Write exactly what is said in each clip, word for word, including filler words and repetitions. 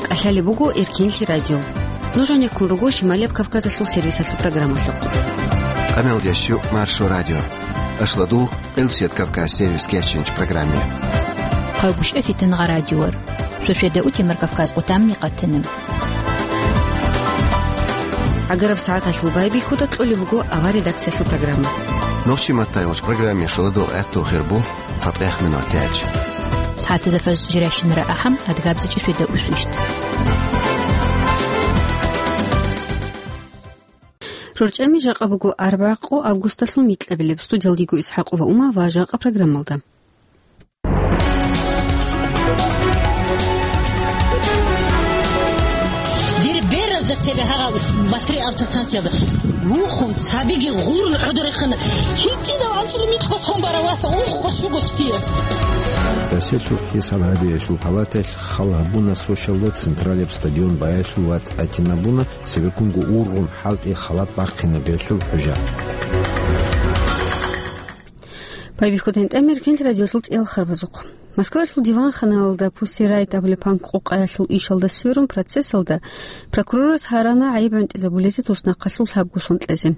ТӀалъалеб буго Эркенлъи радио. Нуж гьанеккун руго Шималияб Кавказалъул сервисалъул программалъухъ. Къаналдящу Маршо радио. Ашладу Къилсият Кавказ сервисги ячинчӀ программе. Хъагушев Фитнагъа радиор. Суседа утимар Кавказ къутамни къатина. ГӀагараб сагӀаталъул байбихьуда кьолеб буго авар редакциялъул программа. Нохчи маттайгъоч программе шоладул гӀатту хирбу. ЦатӀехъ минут тяч. СагӀатазда фаж жиращинара ахӀам, адгабзачӀи светда усвищт. РорчӀами жакъа буго арбагъ къо августалъул микьабилеб. Студиялдиго ИсхӀакъова Ума ва жакъа программалда. Дир беразда цебе гьагъа Басри автостанциялда вухун, цабиги гъурун гӀодорехана. ГьитӀинав анцӀила микьго сон барав васа, ух, къо щуго чияс. Россиялъул хӀисаб гьабиялъул палаталъ хал гьабуна сошалда централияб стадион баялъул вацӀ гӀатинабуна, цебеккунго ургъун хӀалтӀи халат бахъинабиялъул хӀужа. Байбихьудин тӀамир Эркенлъи радиолъул цӀиял харбазухъ. Москвалъул диванханалда Пусси Райт абулеб панк къокъаялъул ишалда сверун процессалда прокурорас гьарана гӀайиб гӀунтӀизабулезе туснахъалъул лъабго сон кьезе.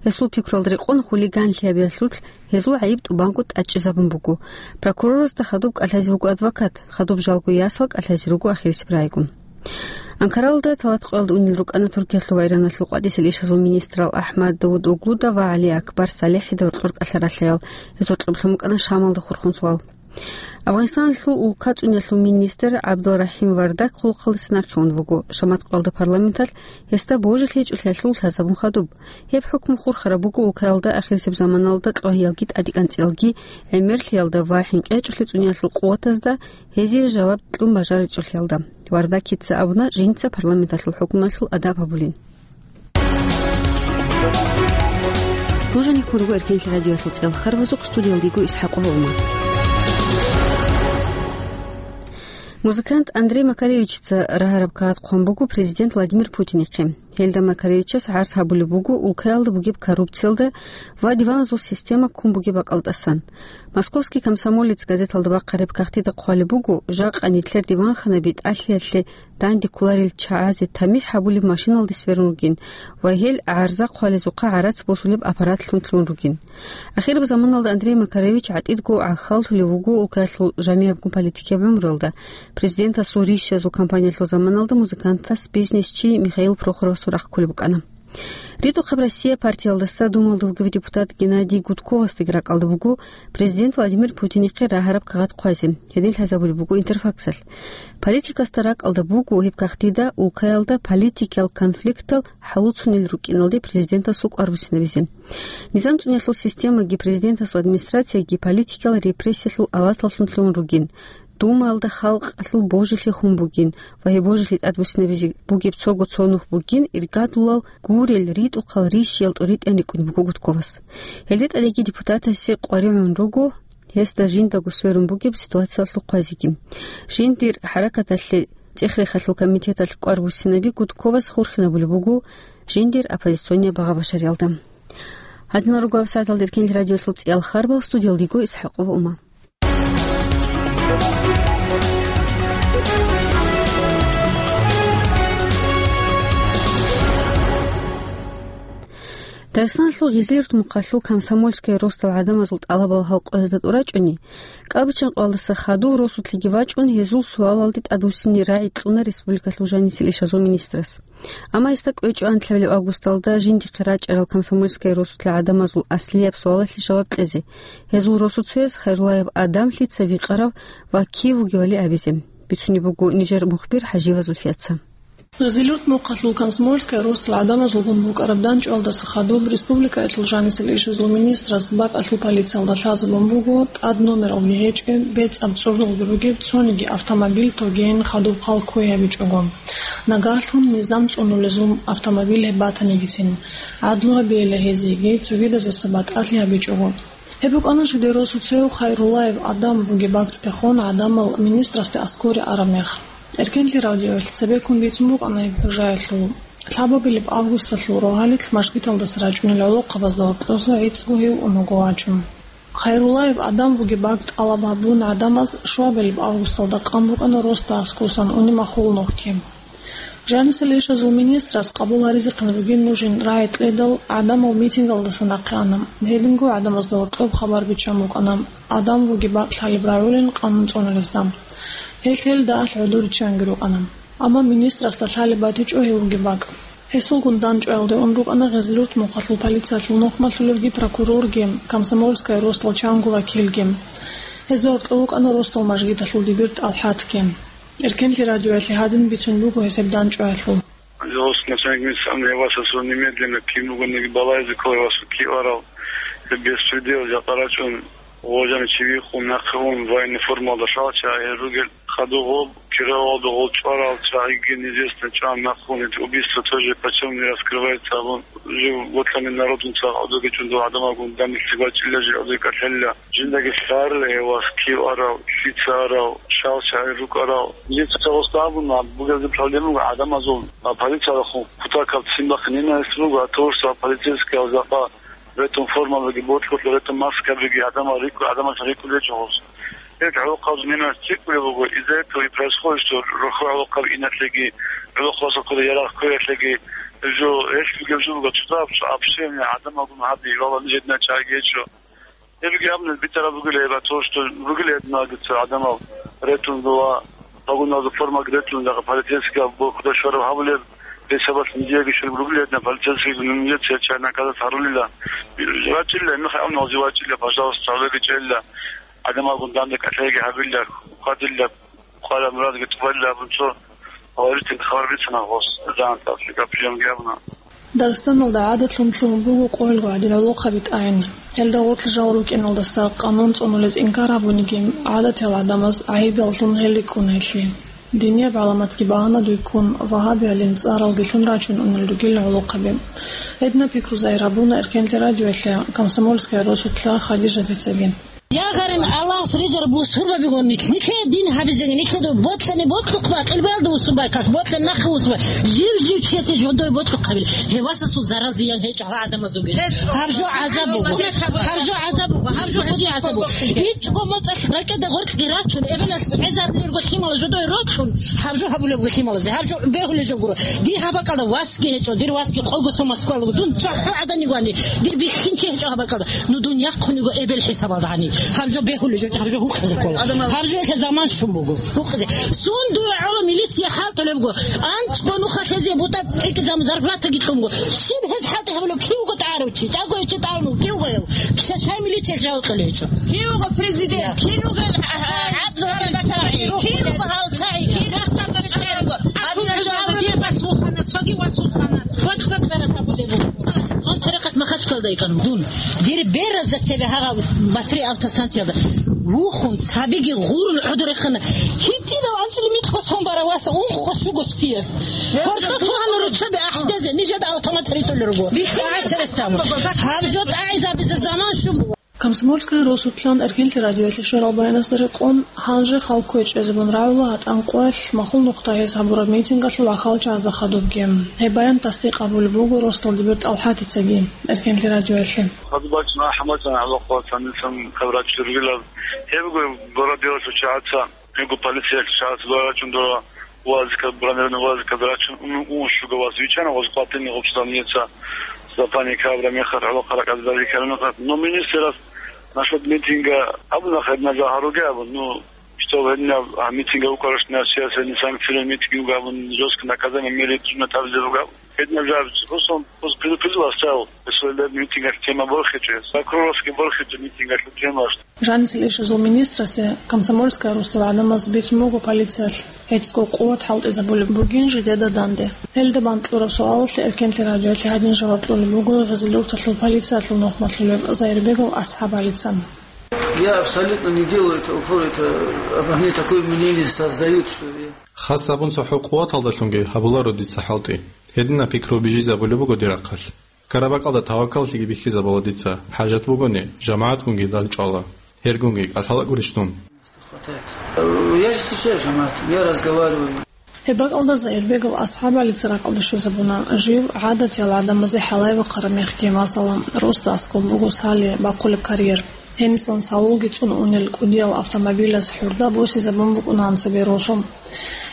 Гьесул пикруялда рекъон хулиганлъи гьабиялъулъ гьезул гӀайиб тӀубанго тӀадчӀезабун буго. Прокурорасда хадуб кӀалъазе вуго адвокат, хадуб жалго ясал кӀалъазе руго ахирисеб райгун. Анкаралда талат къоялда унел рукӀана Туркиялъул ва Ираналъул къватӀисел ишазул министрал АхӀмад Давутоглуда ва ГӀали Акбар СалихӀида гьоркьор кӀалъаралъаял. Гьез гьоркьоб лъун букӀана Шамалда хурхун суал. Афганистаналъул улкацӀунялъул министр ГӀабдулрахӀим Вардак хъулухъалдаса нахъе ун вуго. Шамат къоялда парламенталъ гьесда божилъи гьечӀолъиялъул лъазабун хадуб. Гьеб хӀукму хурхараб буго улкаялда ахирисеб заманалда кьвагьиялги тӀадекӀанцӀиялги гӀемерлъиялда ва хӀинкъи гьечӀолъи цӀуниялъул къуватазда гьезие жаваб кьун бажаричӀолъиялда. Вардакица абуна жинца парламенталъул хӀукмуналъул адаб гьабулин. Нуж гьанеккун руго Эркенлъи радиоялъул цӀиял харбазухъ, студиялдиго ИсхӀакъова Ума. Музыкант Андрей Макаревичица рагьараб кагъат хъван буго президент Владимир Путинихъе. Гьелда Макаревичас гӀарз гьабулеб буго улкаялда бугеб коррупциялда ва диваназул система ккун бугеб бакӀалдасан. «Московский комсомолец» газеталда бахъараб кагътида хъвалеб буго, жакъа нилъер диванханаби тӀалъиялъе данде кколарел чагӀазе тамихӀ гьабулеб машиналде сверун ругин ва гьел гӀарза хъвалезухъа гӀарац босулеб аппаратлъун лъун ругин. Ахираб заманалда Андрей Макаревич гӀатӀидго гӀахьаллъулев вуго улкаялъул жамигӀабгун политикияб гӀумруялда. Президентасул рищазул кампаниялъул заманалда музыкантас бизнесчи Михаил Прохоровасул рахъ кколеб букӀана. РитӀухъаб Россия партиялдаса Думалда вугев депутат Геннадий Гудковасдаги ракӀалда буго президент Владимир Путинихъе рагьараб кагъат хъвазе. Гьедин лъазабулеб буго Интерфаксалъ. Политикасда ракӀалда буго гьеб кагътида улкаялда политикиял конфликтал хӀалуцунел рукӀиналде президентасул кӀвар буссинабизе. Низам цӀуниялъул системаги президентасул администрацияги политикиял репрессиялъул алаталлъун лъугьун ругин. Думаялда халкъалъул божилъи хун бугин ва гьеб божилъи тӀадбуссинабизе бугеб цого цо нух бугин иргадулал гурел ритӀухъал рищиял тӀоритӀани рикӀкӀунеб буго Гудковас. Гьелде тӀадеги депутатасе къваригӀун руго гьесда жиндаго сверун бугеб ситуациялъул хъвазеги. Жиндир хӀаракаталъе цӀех-рехалъул комитеталъ кӀвар буссинаби Гудковас хурхинабулеб буго жиндир оппозиционный багъа-башариялда. Гьадинал руго гьаб сагӀаталда Эркенлъи радиолъул цӀиял харбал, студиялдиго ИсхӀакъова Ума. Дагъистаналъул Гъизлирт мухъалъул «Комсомольская росдал» гӀадамазул тӀалабал гьалкъоязда тӀурачӀони, КӀалбиччан къоялдаса хадув росулъеги вачӀун, гьезул суалалде тӀадвуссине рагӀи кьуна республикалъул жанисел ишазул министрас. Амма гьесда кӀвечӀо анлъабилеб августалда жиндихъе рачӀарал «Комсомольская росулъа» гӀадамазул аслияб суалалъе жаваб кьезе. Гьезул росуцояз Хайруллаев Адам лъица викъарав ва кив вугевали абизе. Бицунеб буго нижер мухбир ХӀажиева Зульфияца. Гъизлирт мухъалъул «Комсомольская росдал» гӀадамазулгун букӀараб данчӀвалдаса хадуб республикаялъул жанисел ишазул министрас бакӀалъул полициялда лъазабун буго тӀад номералги гьечӀеб, бецӀаб цӀуралги ругеб цониги автомобиль тогейин хадуб хал кквей гьабичӀого. Нагагьлъун низам цӀунулезул автомобиль гьеб батанигицин, гӀадлу гьабейила гьезиеги цогидазаса батӀалъи гьабичӀого. Гьеб букӀана жидер росуцев Хайруллаев Адам бугеб бакӀ цӀехон гӀадамал министрасде аскӀоре араб мех. Эркенлъи радиоялъ цебеккун бицун букӀана гьеб хӀужаялъул. Лъабабилеб августалъул рогьалилъ мажгиталдаса рачӀунел гӀолохъабазда гьоркьоса гӀицӀго гьев ун вуго вачун. Хайруллаев Адам вугеб бакӀ тӀалаб гьабун гӀадамаз шуабилеб августалда къан букӀана росдал аскӀосан уни махул нухги. Жанисел ишазул министрас къабул гьаризехъин ругин нужин рагӀи кьедал, гӀадамал митингалдаса нахъе ана. Гьединго гӀадамазда гьоркьоб хабар биччан букӀана, Адам вугеб бакӀ лъалеб рагӀулин къанун цӀунулезда. Гьелъ гьелда алъ гӀодор риччанги рукӀана. Амма министрасда лъалеб батичӀо гьев вугеб бакӀ. Гьесулгун дандчӀваялде ун рукӀана Гъезлъурт мухъалъул полициялъул нухмалъулевги прокурорги, Комсомольская росдал чанго вакилги. Гьезда гьоркьов вукӀана росдал мажгиталъул дибир ТӀалхӀатги. Эркенлъи радиоялъе гьадин бицун буго гьесеб дандчӀваялъул. Гьос начальник милиции гьев васасул немедленно кин бугониги балайзе ккола, гьев васасул киварал, гьеб беспредел жакъа рачӀун, гъожани чи виххун, нахъе ун, военный формалда шалча гьел ругел. Хадуб гъоб киралалда гъол чӀварал чагӀиги неизвестно чӀван нахъун, убийство тоже почему не раскрывается абун, жив ботлъани народунца гӀодоги чӀун дов гӀадамалгун данделъи бачӀила жи гӀодой кӀалъалла. Жиндаги лъарила гьев вас кив арав, лъица арав, шал чагӀи рукӀарал. Милиция гъосда абуна, бугебги проблема буго гӀадамазул, а, полициялъухъ кутакаб ццин бахъин ненависть буго, а то, что полицейскиял жакъа ретун формабиги, ботлъулъ ретун маскабиги гӀадамал рикӀкӀу-, гӀадамаца рикӀкӀулечӀо гъос. Гьеб гӀолохъабазул ненависть цӀикӀкӀулеб буго, из-за этого и происходит, что рухьа гӀолохъаб иналъеги, гӀолохъабазда ккола ярагъ кквеялъеги, жо гьелъ бугеб жо буго, цоцазаб общение гӀадамалгун гьаби, валлагь, нижеда чагӀиги гьечӀо. Гьебги абуна битӀараб бугила гьеб, а то, что ругила гьединал дица гӀадамал ретун ва погоналда формаги ретун, дагъа полицейскиял борхуда щвараб гьабулеб, гьесабалъ нижееги щвараб ругила гьединал полицейскийги, ну, нижеца гьечӀай наказать гьарулила. ВачӀила, гьебмехалъ абуна гъозе вачӀила, пожалуйста, гьавеги чӀела, гӀадамалгун данде кӀалъайги гьабила, хьвадила. Къвараб мурадги тӀубалила абун цо гьаваритин хабар бицана гъос, жан тӀаса гапиланги абуна. Дагъистаналда гӀадатлъун лъугьун буго къоялго гӀадин гӀолохъаби тӀагӀин. Гьелда гъорлъ жал рукӀиналдаса къанун цӀунулез инкар гьабуниги, гӀадатиял гӀадамаз гӀайибаллъун гьел рикӀкӀуна гьелъие. Динияб гӀаламатги багьанадуй ккун, вагьабиялин цӀаралги лъун рачун унел ругел гӀолохъаби. Гьединаб пикру загьир гьабуна Эркенлъи радиоялъе Комсомольская росулъа Хадижатицаги. Я гъарин Аллагьас рижараб бусурбабигун нилъ-, нилъее дин гьабизеги, нилъеда бокьани бокьухъ бакъ, илбаялда бусурбай как, бокьани нахъе бусурбай. Жив-жив чиясе жодое бокьухъ гьабил. Гьев васасул зарал-зиян гьечӀо гьал гӀадамазулги. Гьаб жо гӀазаб буго. Гьаб жо гӀазаб буго. Гьаб жо гьедин гӀазаб буго. ИчӀго моцӀалъ ракӀида гъоркьги рачун, эбелалъ гӀезабулеб лъимал жодое рокьун, гьаб жо гьабулеб лъималазе. Гьаб жо бегьулеб жо гуро. Дир гьаб бакӀалда васги гьечӀо, дир васги къого цо Москвалго. Дун цохӀо гӀадани гвани, дир бихьинчи гьечӀо гьаб бакӀалда. Ну, дун яхъуниго эбел хӀисабалда гьани. Гьаб жо бегьулеб жо, гьаб жо гьукъизе ккола. Гьаб жо гьелъа заман щун буго. Гьукъизе. Сун дуе гӀоло милиция хӀалтӀулебго. АнцӀго нуха хезе бутӀа тӀекӀизабун зарплатаги кьунго. Щиб гьез хӀалтӀи гьабулеб? Кив вуго тӀагӀарав чи? ЧӀаго чи тӀагӀун вуго? Кив вуго гьев? Киса шай милиция жаваб кьолей гьечӀо? Кив вуго президент? Кин вуго гьал чагӀи? Кин вуго гьал чагӀи? Кин вуго гьал чагӀи? Кин вуго гьал чагӀи? Кин вуго гьал чагӀи? Цоги васулхъана. Бокь-бокьараб гьабулеб буго. Сон церехъат Махачкалда йикӀан дун. Дир беразда цебе гьагъа Басри автостанциялда. Вухун, цабиги гъурун гӀодорехана. Гьитинав анцӀила микьго сон бара васа, унхъо щуго чияс. Гьоркьоб бугьана руччаби ахӀдезе, нижеда автомат ритӀулел руго. ТӀагӀи цересамо. Гьаб жо тӀагӀизабизе заман щун буго. Комсомольская росулъан Эркенлъи радиоялъе щварал баянасда рекъон, гьанже хал кквечӀезабун рагӀула гьатӀан къоялъ махул нухда гьез гьабураб митингалъул ахал чагӀазда хадубги. Гьеб баян тасдикъ гьабулеб буго росдал дибир ТӀалхӀатицаги Эркенлъи радиоялъе. Хадуб бачӀун ахӀаматана гьалахъ ва цанисан хъабрачи ругилан. Гьеб буго бородилалъул чагӀаца. Гьебго полициялъ шагьаралъ дора рачун, дора вазикаб, бронированный вазикаб рачун, ун, ун щуго ваз вичана, ваз къватӀине гъубзал нижеца запани кабра мехалъ, гӀолохъа ракӀалде дари ккараб мехалъ. Но министрас насчет митинга абуна, гьединаб жо гьаруге абун, ну, что гьединаб, а, митинга вукӀараш на чиясе санкцияла митинг вуго абун, жесткое наказание мери тӀуна тӀаблъи руго абун. Гьединаб жо абун, просто, просто предупредил оставил, если митингалъ тема борхичӀес. Прокурорский борхичӀо митингалъ тема. Жанисел ишазул министрасе Комсомольская росдал гӀадамаз бицун буго полициялъ гьецӀго къуват хӀалтӀизабулеб бугин жидеда данде. Гьелда бан кьураб суалалъе Эркенлъи радиоялъе гьадин жаваб кьолеб буго Гъизилюрталъул полициялъул нухмалъулев Зайирбегов АсхӀабгӀалица. Я абсолютно не делаю это упор, это обо мне такое мнение создают, что я... Хас абун цохӀо къуваталдалъунги гьабуларо дица хӀалтӀи. Гьединаб пикру бижизабулеб буго дир рахъалъ. Ккараб бакӀалда тавакаллъиги бихьизабула дица, хӀажат бугони, жамагӀатгунги дандчӀвала. Гьергунги кӀалъала гурищ дун? Хватает. Э, я же встречаюсь, жамагӀат, я разговариваю. Гьеб бакӀалда Зайирбегов АсхӀабгӀалица ракӀалде щвезабуна, жив гӀадатиял гӀадамазе хӀалай вахъараб мехги, масала, росдал аскӀоб буго Сали бахъулеб карьер. Гьенисан салулги цӀун унел кӀудиял автомобилаз хӀурда босизабун букӀунаан цебе росу.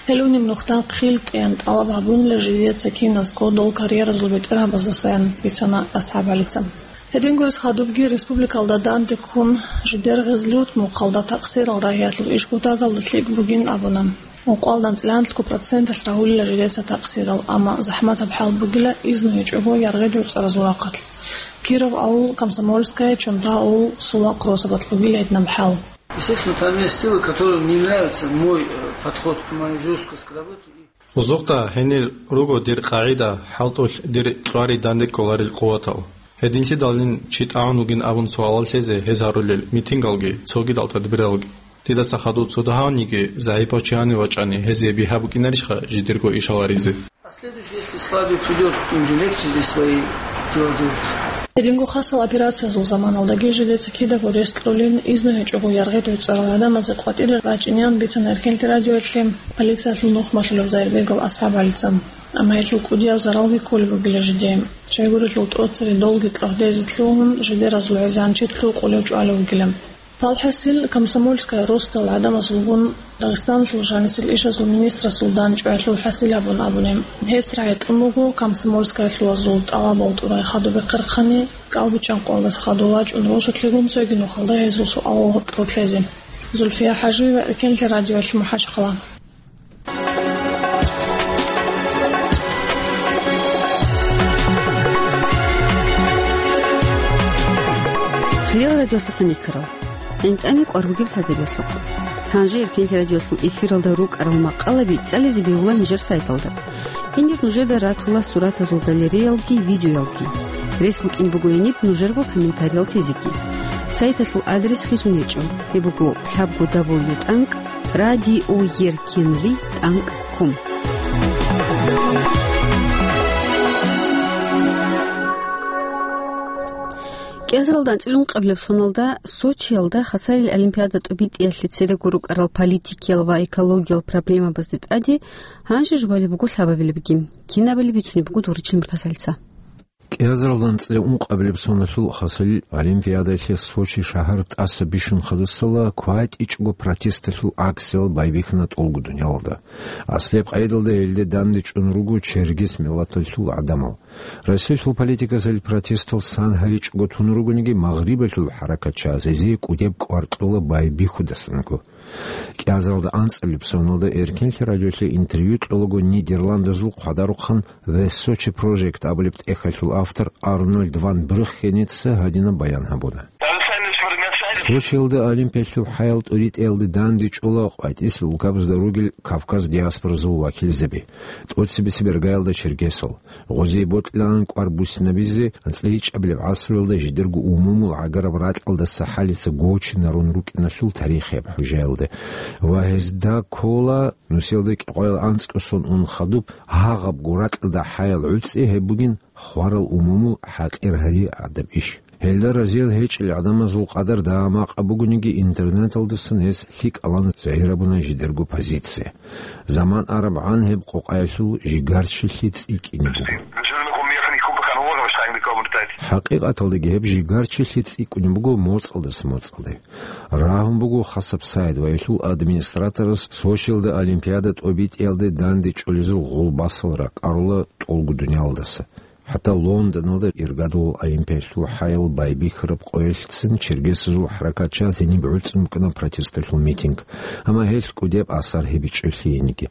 Гьел унеб нухда хъил тӀеян тӀалаб гьабунила жидеца киназго дол карьеразул бетӀергьабаздасаян, бицана АсхӀаб ГӀалица. Гьединго гьес хадубги республикалда данде ккун, жидер гъезлут мухъалда такъсирал рагьиялъул иш кутагалда лъикӀ бугин абуна. Ункъоялда анцӀила гӀанлъго проценталъ рагьулила жидеца такъсирал, амма захӀматаб хӀал бугила изну гьечӀого яргъи-дурцӀаразул рахъалъ. Киров авул, Комсомольская, Чонта авул, Сулахъ росабалъ бугила гьединаб хӀал. Естественно, там есть силы, которым не нравится мой, э, подход, моя жёсткость к работе. Узухъа гьенир руго дир къагӀида, хӀалтӀулъ дир кьвари данде кколарил къуватал. Гьединлъидаллин чи тӀагӀун вугин абун суалал лъезе гьез гьарулел митингалги, цогидал тадбиралги. Дидаса хадув цо дагьавниги загӀипав чи гьанив вачӀани, гьезие бигьа букӀинарищха жидерго иш гьаларизе? А следующий, если слабее придёт, им же легче здесь свои дела делать. Гьединго хасал операциязул заманалдаги жидеца кидаго рес кьолин, изну гьечӀого яргъи-дурцӀарал гӀадамазе къватӀире рачӀинеян бицана Эркенлъи радиоялъе полициялъул нухмалъулев Зайирбегов АсхӀаб ГӀалица. Амма гьелъул кӀудияв заралги кколеб бугила жидее. Щайгурелъул тӀоцере долги кьогьдезе лъугьун, жидеразул гӀезегӀан чи лъукъулев чӀвалев вугила. ВалхӀасил, Комсомольская росдал гӀадамазулгун Дагъистаналъул жанисел ишазул министрасул дандчӀваялъул хӀасил гьабун абуни. Гьес рагӀи кьун буго Комсомольскаялъулазул тӀалабал тӀурай хадуб бехъерхъани, кӀалбичӀчӀанкъоялдаса хадув вачӀун росулъигун цоги нухалда гьезул суалал гьоркьор лъезе. Зульфия ХӀажиева, Эркенлъи радиоялъ, МухӀажахъала. Хириял радиолъухъ никарал. ГӀинтӀами кӀвар бугеб лъазаревлъухъ. Гьанже Эркенлъи радиолъул эфиралда рукӀарал макъалаби цӀализе бегьула нижер сайталда. Гьенир нужеда ратула суратазул галереялги, видеоялги. Рес букӀин буго гьениб нужерго комментариял тезеги. Сайталъул адрес хисун гьечӀо. Гьеб буго лъабго дабл ю тӀанкӀ радиоеркенлъи тӀанкӀ ком. КӀиазаралда анцӀила ункъабилеб соналда Сочиялда Хасалил олимпиада тӀубитӀиялъе церего рукӀарал политикиял ва экологиял проблемабазде тӀаде гьанже жубалеб буго лъабабилебги. Кинабали бицунеб буго Доричил Муртазалица. КӀиазаралда анцӀила ункъабилеб соналъул Хасалил олимпиадаялъе Сочи шагьар тӀаса бищун хадусала кватӀичӀго протесталъул акциялъ байбихьана тӀолго дуниялалда. Аслияб къайдалда гьелде дандечӀун руго чергес миллаталъул гӀадамал. Россиялъул политикасалъ протестал сан гьаричӀого тун ругониги, Магърибалъул хӀаракатчияс гьезие кӀудеб кӀвар кьола байбихьудасанаго. КӀиазаралда анцӀабилеб соналда Эркенлъи радиолъе интервью кьолаго Нидерландазул хъвадарухъан The Sochi Project абулеб тӀехьалъул автор Арнольд ван Брюххеница гьадинаб баян гьабуна. Сочиялда Олимпиялъул хӀаял тӀуритӀиялде дандечӀола къватӀис улкабазда ругел Кавказ диаспоразул вакилзаби, тӀоцебесеб иргаялда чергесал, гъозие бокьилаан кӀвар буссинабизе анцӀила гьечӀебилеб гӀасруялда жидерго умумул гӀагараб ракьалдаса хӀалица гочинарун рукӀиналъул тарихияб хӀужаялда ва гьезда ккола нусиялда кӀикъоял анцӀго сон ун хадуб гьагъабго ракьалда хӀаял гӀуцӀи, гьеб бугин хварал умумул хӀакъир гьари гӀадаб иш. Гьелда разиял гьечӀел гӀадамазул къадар дагьа-макъа бугониги, интернеталдасан гьес лъикӀалан загьирабуна жидерго позиция. Заман арабгӀан гьеб къокъаялъул жигарчилъи цӀикӀкӀине буго. ХӀакъикъаталдаги гьеб жигарчилъи цӀикӀкӀунеб буго моцӀалдаса моцӀалде. Рагьун буго хасаб сайт ва гьелъул администраторас Сочиялда Олимпиада тӀобитӀиялде дандечӀолезул гъулбасал ракӀарула тӀолго дуниялдаса. ХӀатта Лондоналда иргадулал Олимпиялъул хӀаял байбихьараб къоялъцин чергесазул хӀаракатчияс гьениб гӀуцӀун букӀана протесталъул митинг, амма гьелъ кӀудеб асар гьебичӀолъиениги.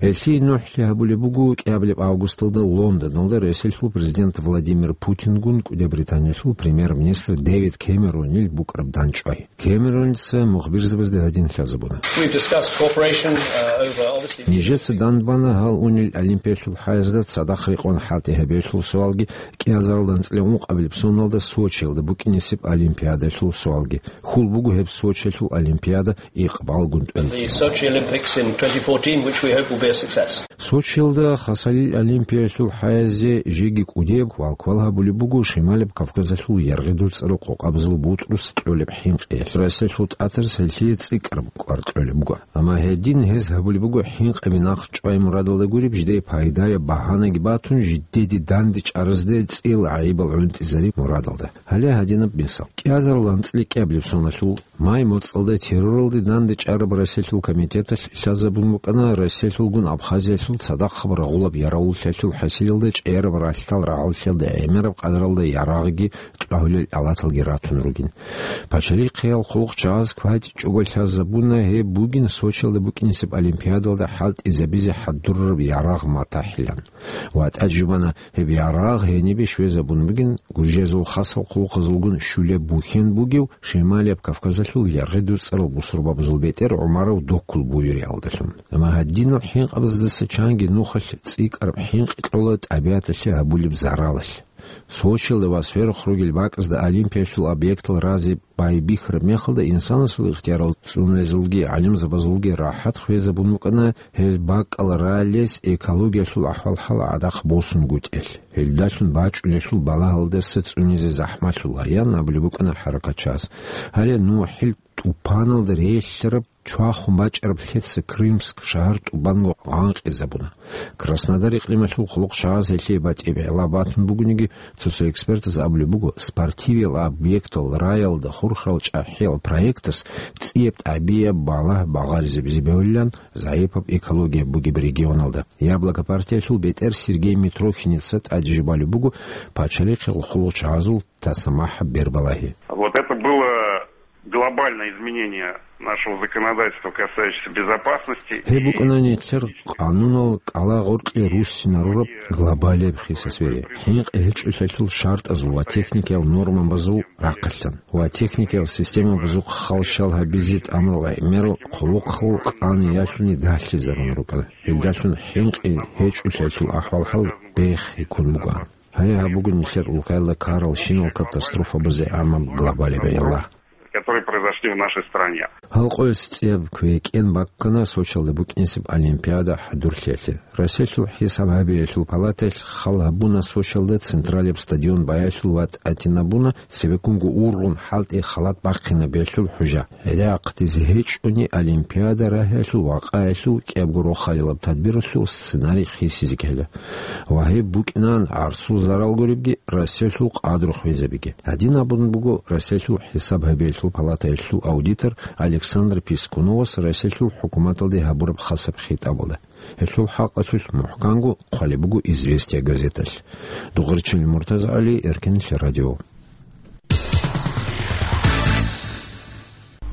Гьелъие нухӀлъи гьабулеб буго кӀиабилеб августалда Лондоналда Россиялъул президент Владимир Путингун кӀудияб Британиялъул премьер-министр Дэвид Кэмеронил букӀараб дандчӀвай. Кэмероница мухбирзабазда гьадин лъазабуна. We've discussed cooperation, uh, over, obviously. Нижеца данбана гьал унел Олимпиялъул хӀаязда цадахъ рекъон хӀалтӀи гьабиялъул суалги, кӀиазаралда анцӀила ункъабилеб соналда Сочиялда букӀинесеб Олимпиадалъул суалги. Хьул буго гьеб Сочиялъул Олимпиада икъбалгун тӀуритӀила. The Sochi Olympics in twenty fourteen, which we hope will be a success. Сочиялда хасалил Олимпиялъул хӀаязе жеги кӀудияб квалквал гьабулеб буго Шималаб Кавказалъул яргъидул цӀарал къокъабазул бутӀрус кьолеб хӀинкъиялъ. Россиялъул тӀатарас гьелъие цӀикӀкӀараб кӀвар кьолеб буго. Амма гьедин гьез гьабулеб буго хӀинкъаби нахъ чӀвай мурадалда гуреб, жидее пайдаяб багьанаги батун, жидеде дандечӀаразде цӀиял гӀайибал гӀунтӀизариб мурадалда. Гьале гьадинаб мисал. КӀиазарилан анцӀила кӀиабилеб соналъул май моцӀалда терроралде дандечӀараб Россиялъул комитеталъ лъазабун букӀана Россиялъулгун Абхазиялъул цадахъаб рагъулаб ярагъуллъиялъул хӀасилалда чӀеяраб ралъдал рагӀаллъиялда гӀемераб къадаралда ярагъги кьвагьулел алаталги ратун ругин. Пачалихъиял хъулухъчагӀаз кватӀичӀого лъазабуна гьеб бугин Сочиялда букӀинесеб Олимпиадалда хӀалтӀизабизе хӀадурараб ярагъ матахӀилан. Ва тӀаде жубана гьеб ярагъ гьенибе щвезабун бугин Гуржиязул хасал хъулухъазулгун щулеб бухьен бугев Шималияб Кавказалъул яргъидул цӀарал бусурбабазул бетӀер ГӀумаров Доккул буюриялдалъун. Амма гьадинал хӀинкъабаздаса чанги нухалъ цӀикӀкӀараб хӀинкъи кьола тӀабигӀаталъе гьабулеб заралалъ. Сочиялда ва сверухъ ругел бакӀазда Олимпиялъул объектал разе байбихьараб мехалда инсанасул ихтиярал цӀунезулги гӀалимзабазулги рахӀат хвезабун букӀана гьел бакӀал ралес экологиялъул ахӀвал-хӀал гӀадахъ босунгутӀиялъ, гьелдалъун бачӀунелъул балагьалдаса цӀунизе захӀмалъула, ян абулеб букӀана хӀаракатчияс. Гьале НухӀил тӀупаналда релълъараб чвахун бачӀараб лъеца Крымск шагьар тӀубанго гъанкъизабуна. Краснодар икълималъул хъулухъчагӀаз гьелъие батӀи-бегӀла батун бугониги, цо-цо экспертаз абулеб буго, спортивиял объектал раялда хурхарал чӀахӀиял проектас цӀияб тӀабигӀияб балагь багъаризабизе бегьулилан, загӀипаб экология бугеб регионалда. Яблоко партиялъул бетӀер Сергей Митрохиница тӀаде жубалеб буго пачалихъал хъулухъчагӀазул тасамахӀаб бербалагьи. Вот это было глобальное изменение нашего законодательства, касающееся безопасности. Гьеб букӀана нилъер къанунал кӀалагъоркье руссинарураб глобалияб хиса-свере, хӀинкъи гьечӀолъиялъул шартӀазул ва техникиял нормабазул рахъалъан ва техникиял системабазухъ халщал гьабизе тӀамурал гӀемерал хъулухъал къаниялъуни дагьлъизарун рукӀана. Гьелдалъун хӀинкъи гьечӀолъиялъул ахӀвал-хӀал бехиккун бугоан. Гьале гьаб буго нилъер улкаялда ккарал щинал катастрофабазе гӀамаб глобалияб гӀелла, которые произошли в нашей стране. Гьал къоялъ цӀияб квекӀен баккана Сочиялда букӀинесеб Олимпиада хӀадурлъиялъе. Россиялъул хӀисаб гьабиялъул палатаялъ хал гьабуна Сочиялда централияб стадион баялъул ва тӀатинабуна цебеккунго ургъун хӀалтӀи халат бахъинабиялъул хӀужа. ГӀедакъдизе гьечӀони Олимпиада рагьиялъул вакъаялъул кӀиябго рохалилаб тадбиралъул сценарий хисизе ккела. Ва гьеб букӀинан гӀарцул зарал гуребги, Россиялъул къадру хвезабиги. Гьадин абун буго Россиялъул хӀисаб гьабиялъул палатаялъул аудитор Александр Пискуновас Россиялъул хӀукуматалде гьабураб хасаб хитӀабалда. Гьелъул хӀакъалъулъ мухӀканго хъвалеб буго «Известия» газеталъ. Дугъричил МуртазагӀали, Эркенлъи радио.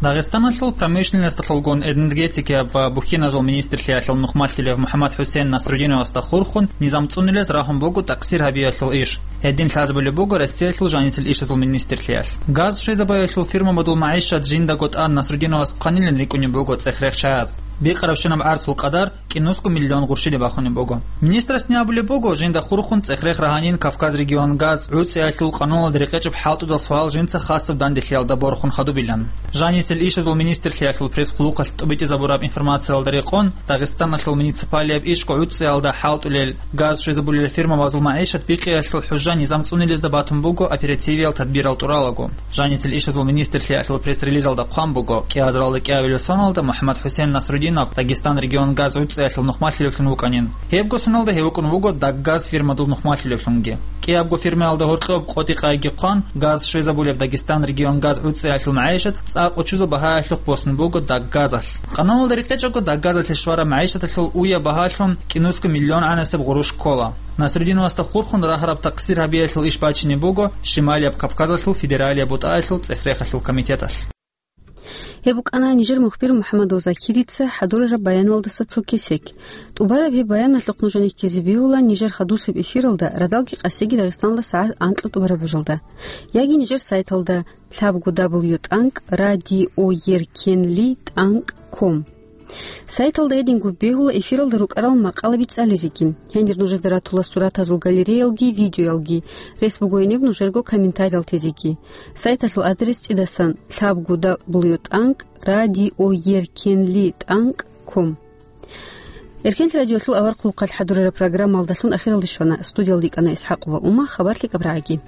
Дагъистаналъул промышленносталъулгун энергетикаяб ва бухьиназул министрлъиялъул нухмалъулев МухӀаммад-ХӀусен Насрудиновасда хурхун низам цӀунилез рагьун буго такъсир гьабиялъул иш. Гьедин лъазабулеб буго Россиялъул жанисел ишазул министрлъиялъ. Газ щвезабаялъул фирмабазул магӀишат жиндаго тӀад Насрудиновас хъванилин рикӀкӀунеб буго цӀех-рех чагӀаз. Бикъарабщинаб гӀарцул къадар кӀинусго миллион гъурщилин бахунеб буго. Министрасни абулеб буго, жинда хурхун цӀех-рех рагьанин Кавказ регион газ гӀуцӀиялъул къануналда рекъечӀеб хӀалтӀудал суал жинца хасаб данделъиялда борхун хадубилан. Жанисел ишазул министрлъиялъул пресс-хъулухъалъ тӀубитӀизабураб информациялда рекъон, Дагъистаналъул муниципалияб ишго гӀуцӀиялда хӀалтӀулел газ щвезабулел фирмабазул магӀишат бикъиялъул хӀужа низам цӀунилезда батун буго оперативиял тадбирал тӀуралаго. Жанисел ишазул министрлъиялъул пресс-релизалда хъван буго, кӀиазаралда кӀиабилеб соналда МухӀаммад-ХӀусен Насрудинов Дагъистан регион газ гӀуцӀиялъул нухмалъулевлъун вукӀанин. Гьебго соналда гьев вукӀун вуго Даггаз фирмадул нухмалъулевлъунги. КӀиябго фирмаялда гьоркьоб къотӀи-къайги хъван, газ щвезабулеб Дагъистан регион газ гӀуцӀиялъул магӀишат цӀакъ учузул багьаялъухъ босун буго Даггазалъ. Къануналда рекъечӀого Даггазалъе щвараб магӀишаталъул уя багьалъун кӀинусго миллион гӀанасеб гъурущ ккола. Насрудиновасда хурхун рагьараб такъсир гьабиялъул иш бачине буго Шималияб Кавказалъул федералияб бутӀаялъул цӀех-рехалъул комитеталъ. Гьеб букӀана нижер мухбир МухӀаммадов Закирица хӀадурараб баяналдаса цо кесек. ТӀубараб гьеб баяналъухъ нуж гьенеккизе бегьула нижер хадусеб эфиралда радалги къасиги Дагъистанда сагӀат анкьа тӀубараб бажалда. Яги нижер сайталда лъабго дабл ю тӀанкӀ радио еркенли тӀанкӀ ком. Сайталда гьединго бегьула эфиралда рукӀарал макъалаби цӀализеги. Гьенир нужеда ратула суратазул галереялги, видеоялги. Рес буго гьениб нужерго комментариял тезеги. Сайталъул адрес цӀидасан лъабго дабл ю тӀанкӀ радио еркенли тӀанкӀ ком. Эркенлъи радиолъул аварагасул хъалихъ хӀадурараб программаялдалъун ахиралде щвана. Студиялда йикӀана ИсхӀакъова Ума, хабар лъикӀаб рагӀаги.